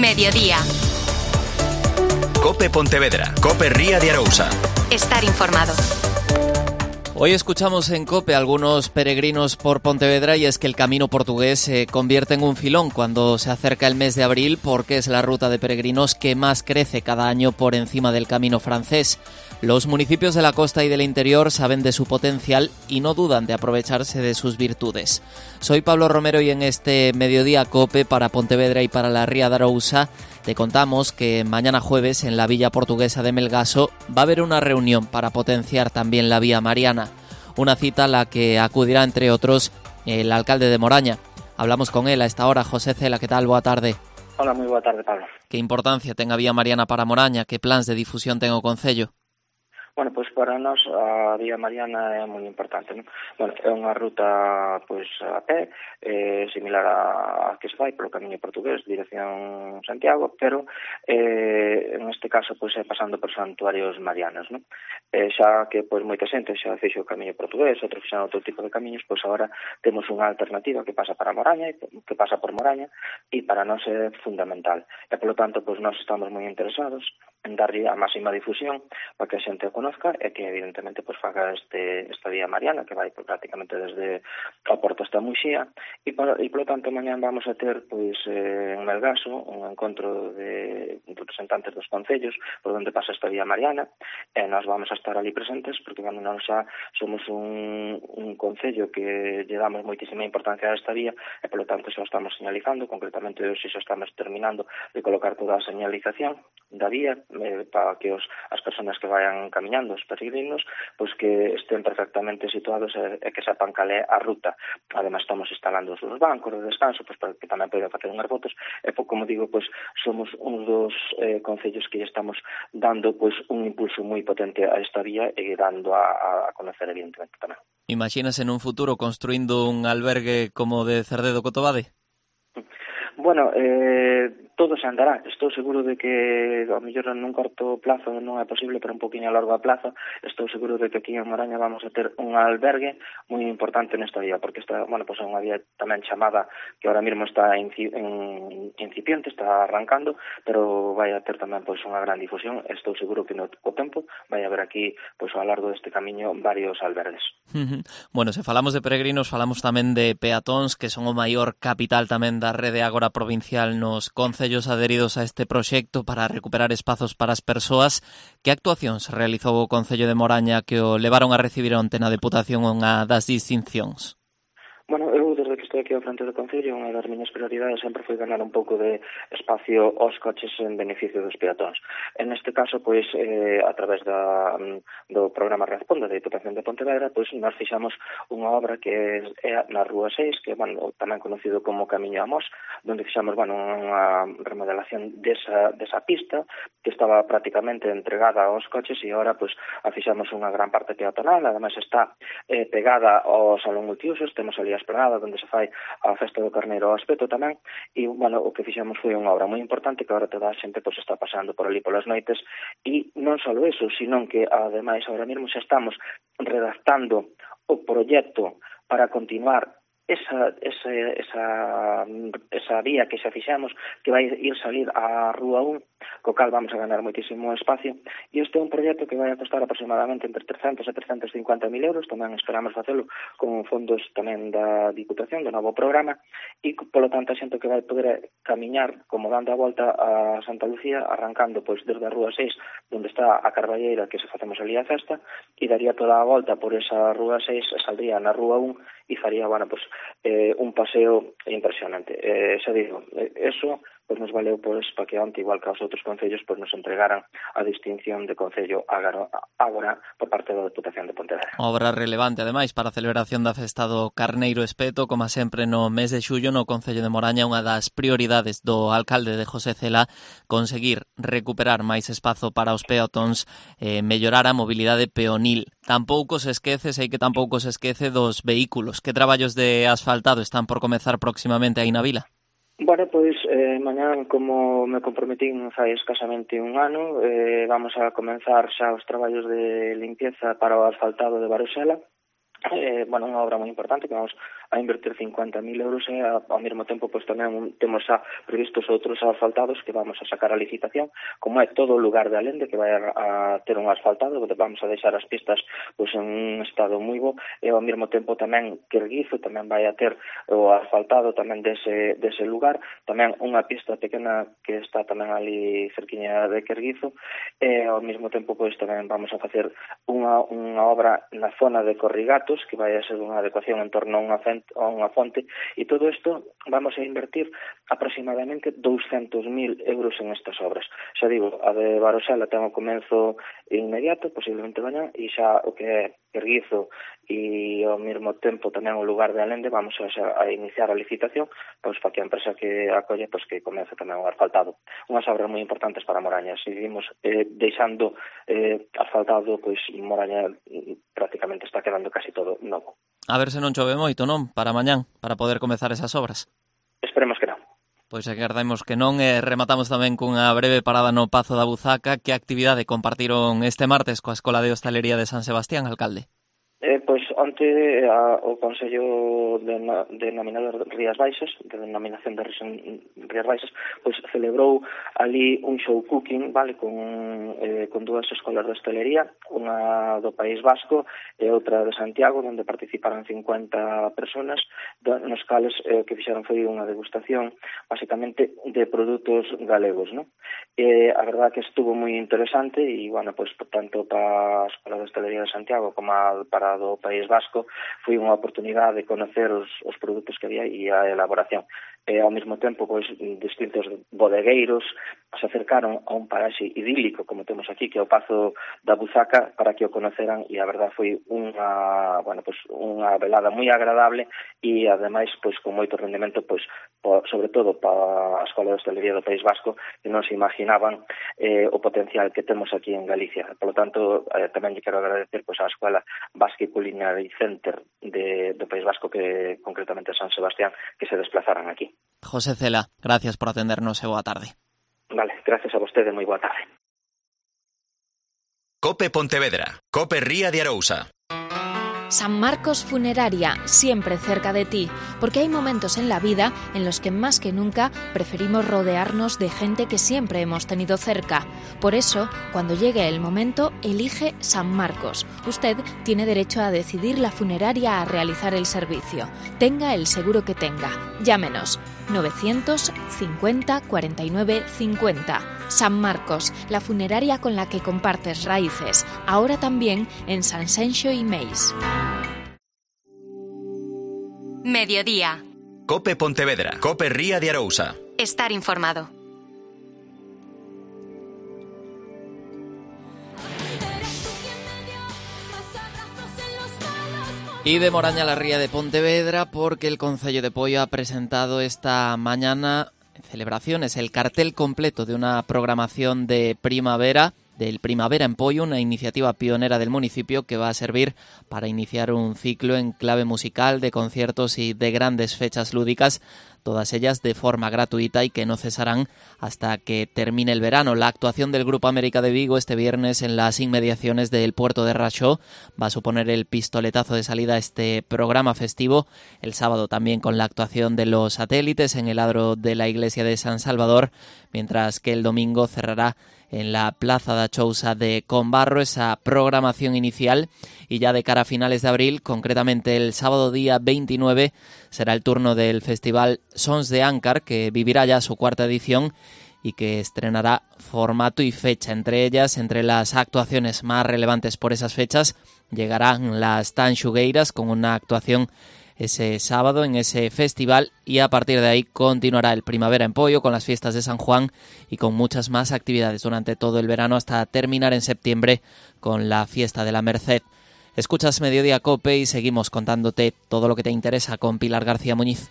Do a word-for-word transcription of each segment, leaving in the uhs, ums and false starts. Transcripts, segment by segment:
Mediodía. Cope Pontevedra. Cope Ría de Arousa. Estar informado. Hoy escuchamos en COPE a algunos peregrinos por Pontevedra y es que el camino portugués se convierte en un filón cuando se acerca el mes de abril porque es la ruta de peregrinos que más crece cada año por encima del camino francés. Los municipios de la costa y del interior saben de su potencial y no dudan de aprovecharse de sus virtudes. Soy Pablo Romero y en este Mediodía COPE para Pontevedra y para la Ría de Arousa te contamos que mañana jueves en la Villa Portuguesa de Melgaso va a haber una reunión para potenciar también la Vía Mariana. Una cita a la que acudirá, entre otros, el alcalde de Moraña. Hablamos con él a esta hora. José Cela, ¿qué tal? Boa tarde. Hola, moi boa tarde, Pablo. Que importancia ten a Vía Mariana para Moraña? Que plans de difusión ten o concello? Bueno, pois para nós a Vía Mariana é moi importante, non? Bueno, é unha ruta pois a pé, eh, similar a, a que se fai polo camiño portugués, dirección Santiago, pero eh, en este caso pois é pasando por santuarios marianos, non? Eh, xa que pois moita xente xa fixo o camiño portugués, outros fixan outro tipo de camiños, pois agora temos unha alternativa que pasa para Moraña, que pasa por Moraña, e para nós é fundamental. E polo tanto, pois nós estamos moi interesados en darlle a máxima difusión para que a xente o conozca e que evidentemente pues, faga este, esta Vía Mariana que vai pues, prácticamente desde a Porto hasta Muxía e, por, e polo tanto mañán vamos a ter pues, eh, en Melgaso un encontro de representantes dos concellos por onde pasa esta Vía Mariana e nós vamos a estar ali presentes porque bueno, nós xa somos un, un concello que lle damos moitísima importancia a esta vía e polo tanto xa estamos señalizando, concretamente hoxe xa estamos terminando de colocar toda a señalización da vía eh, para que os, as persoas que vayan camiñando, os peregrinos, pois que estén perfectamente situados e, e que sepan cal é a ruta. Además, estamos instalando os bancos de descanso, pois para que tamén poden facer unhas fotos, e como digo, pois somos uns dos eh, concellos que estamos dando pois un impulso moi potente a esta vía e dando a, a conocer evidentemente tamén. Imaginas en un futuro construindo un albergue como de Cerdedo Cotobade? Bueno, eh, todo se andará. Estou seguro de que ao mellor nun corto plazo non é posible, pero un poquinho a largo plazo estou seguro de que aquí en Moraña vamos a ter un albergue moi importante nesta vía, porque esta, bueno, pues é unha vía tamén chamada que ahora mesmo está inci, en, incipiente, está arrancando, pero vai a ter tamén pois unha gran difusión. Estou seguro que no co tempo vai haber aquí pois ao largo deste camiño varios albergues. Bueno, se falamos de peregrinos, falamos tamén de peatóns, que son o maior capital tamén da rede agora provincial nos concellos adheridos a este proxecto para recuperar espazos para as persoas. Que actuacións realizou o Concello de Moraña que o levaron a recibir onte na Deputación unha das distincións? Bueno, eu desde que estou aquí ao frente do Concello, unha das miñas prioridades sempre foi ganar un pouco de espacio aos coches en beneficio dos peatóns. En este caso, pois, eh, a través da, do programa Responde da Diputación de Pontevedra, pois, nós fixamos unha obra que é na Rúa seis, que é, bueno, tamén conocido como Camiño a Mos, onde fixamos, bueno, unha remodelación desa, desa pista, que estaba prácticamente entregada aos coches e agora, pois, a fixamos unha gran parte peatonal, ademais está eh, pegada ao Salón Multiusos, temos ali a esplanada onde se fai a festa do Carneiro ao Espeto tamén, e, bueno, o que fixemos foi unha obra moi importante que agora toda a xente pois, está pasando por ali polas noites, e non só eso, sino que, ademais, agora mesmo xa estamos redactando o proxecto para continuar esa, esa, esa, esa vía que xa fixamos, que vai ir salir á Rúa un, co cal vamos a ganar moitísimo espacio, e este é un proxecto que vai a costar aproximadamente entre trescentos e trescentos e cincuenta mil euros, tamén esperamos facelo con fondos tamén da Diputación, do novo programa, e polo tanto a xente que vai poder camiñar como dando a volta a Santa Lucía, arrancando pois desde a Rúa seis, onde está a Carballeira, que se facemos ali a festa, e daría toda a volta por esa Rúa seis, saldría na Rúa un, e faría, bueno, pues, eh, un paseo impresionante. Eh, xa digo, eh, eso pues nos valeu pois para que onte, igual que aos outros concellos, pues nos entregaran a distinción de concello agora por parte da Deputación de Pontevedra. Obra relevante, ademais, para a celebración da festa do Carneiro Espeto, como sempre no mes de xullo no Concello de Moraña, unha das prioridades do alcalde de José Cela, conseguir recuperar máis espazo para os peatóns, eh, mellorar a mobilidade peonil. Tampouco se esquece, sei que tampouco se esquece dos vehículos. Que traballos de asfaltado están por comezar próximamente aí na vila? Bueno, pois, eh, mañán, como me comprometín fai escasamente un ano, eh, vamos a comenzar xa os traballos de limpieza para o asfaltado de Varosela, Eh, bueno, unha obra moi importante que vamos a invertir cincuenta mil euros e a, ao mesmo tempo pois tamén temos xa previstos outros asfaltados que vamos a sacar a licitación, como é todo o lugar de Alende que vai a, a ter un asfaltado, que vamos a deixar as pistas pois en un estado moi bo, e ao mesmo tempo tamén Querguizo tamén vai a ter o asfaltado tamén dese, dese lugar, tamén unha pista pequena que está tamén ali cerquiña de Querguizo, e ao mesmo tempo pois tamén vamos a facer unha, unha obra na zona de Corrigatos que vai a ser unha adecuación en torno a unha, fente, a unha fonte, e todo isto vamos a invertir aproximadamente douscentos mil euros en estas obras. Xa digo, a de Barosela ten o comenzo inmediato, posiblemente mañá, e xa o que é Querguizo e ao mesmo tempo tamén o lugar de Alende vamos a, a iniciar a licitación pois para que a empresa que acolle pois que comece tamén o asfaltado. Unhas obras moi importantes para Moraña. Seguimos eh, deixando eh, asfaltado, pois Moraña prácticamente está quedando casi todo novo. A ver se non chove moito, non? Para mañán, para poder comezar esas obras. Esperemos que non. Pois agardemos que non, e rematamos tamén cunha breve parada no Pazo da Buzaca. Que actividade compartiron este martes coa Escola de Hostalería de San Sebastián, alcalde? Eh, pois onte a, o Consello de, de Nominador de Rías Baixas, de denominación de Rías Baixas, pois celebrou ali un show cooking, vale, con, eh, con dúas escolas de hostelería, unha do País Vasco e outra de Santiago, onde participaron cincuenta personas, nos cales eh, que fixeron foi unha degustación, basicamente, de produtos galegos, non? Eh, a verdad que estuvo moi interesante e, bueno, pois tanto para a Escola de Hostelería de Santiago como para do País Vasco foi unha oportunidade de conocer os, os produtos que había e a elaboración. E ao mesmo tempo, pois, distintos bodegueiros se acercaron a un paraxe idílico, como temos aquí, que é o Pazo da Buzaca, para que o conoceran, e a verdad foi unha, bueno, pois, unha velada moi agradable e, ademais, pois, con moito rendimento, pois, po, sobre todo para a Escola de Hostelería do País Vasco, que non se imaginaban eh, o potencial que temos aquí en Galicia. Por lo tanto, eh, tamén lle quero agradecer pois, á Escola Basque Culinary Center de, do País Vasco, que concretamente San Sebastián, que se desplazaran aquí. José Cela, gracias por atendernos e boa tarde. Vale, gracias a vostede, moi boa tarde. Cope Pontevedra, Cope Ría de Arousa. San Marcos Funeraria, siempre cerca de ti, porque hay momentos en la vida en los que más que nunca preferimos rodearnos de gente que siempre hemos tenido cerca. Por eso, cuando llegue el momento, elige San Marcos. Usted tiene derecho a decidir la funeraria a realizar el servicio. Tenga el seguro que tenga. Llámenos novecientos cincuenta cuarenta y nueve cincuenta. San Marcos, la funeraria con la que compartes raíces, ahora también en San Senxo y Meis. Mediodía. Cope Pontevedra, Cope Ría de Arousa. Estar informado. Y de Moraña a la Ría de Pontevedra, porque el Concello de Poio ha presentado esta mañana celebraciones, el cartel completo de una programación de primavera, del Primavera en Poio, una iniciativa pionera del municipio que va a servir para iniciar un ciclo en clave musical de conciertos y de grandes fechas lúdicas, todas ellas de forma gratuita y que no cesarán hasta que termine el verano. La actuación del Grupo América de Vigo este viernes en las inmediaciones del puerto de Raxó va a suponer el pistoletazo de salida a este programa festivo. El sábado también con la actuación de Los Satélites en el adro de la iglesia de San Salvador, mientras que el domingo cerrará en la Plaza da Chousa de Combarro esa programación inicial, y ya de cara a finales de abril, concretamente el sábado día veintinueve, será el turno del festival Sons de Ancar, que vivirá ya su cuarta edición y que estrenará formato y fecha. Entre ellas, entre las actuaciones más relevantes por esas fechas, llegarán las Tanxugueiras con una actuación ese sábado en ese festival, y a partir de ahí continuará el Primavera en Poio con las fiestas de San Juan y con muchas más actividades durante todo el verano hasta terminar en septiembre con la fiesta de la Merced. Escuchas Mediodía Cope y seguimos contándote todo lo que te interesa con Pilar García Muñiz.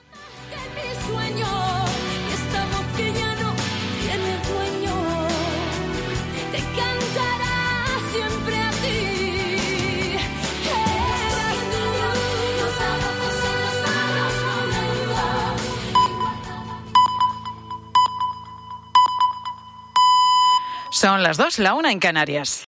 Son las dos, la una en Canarias.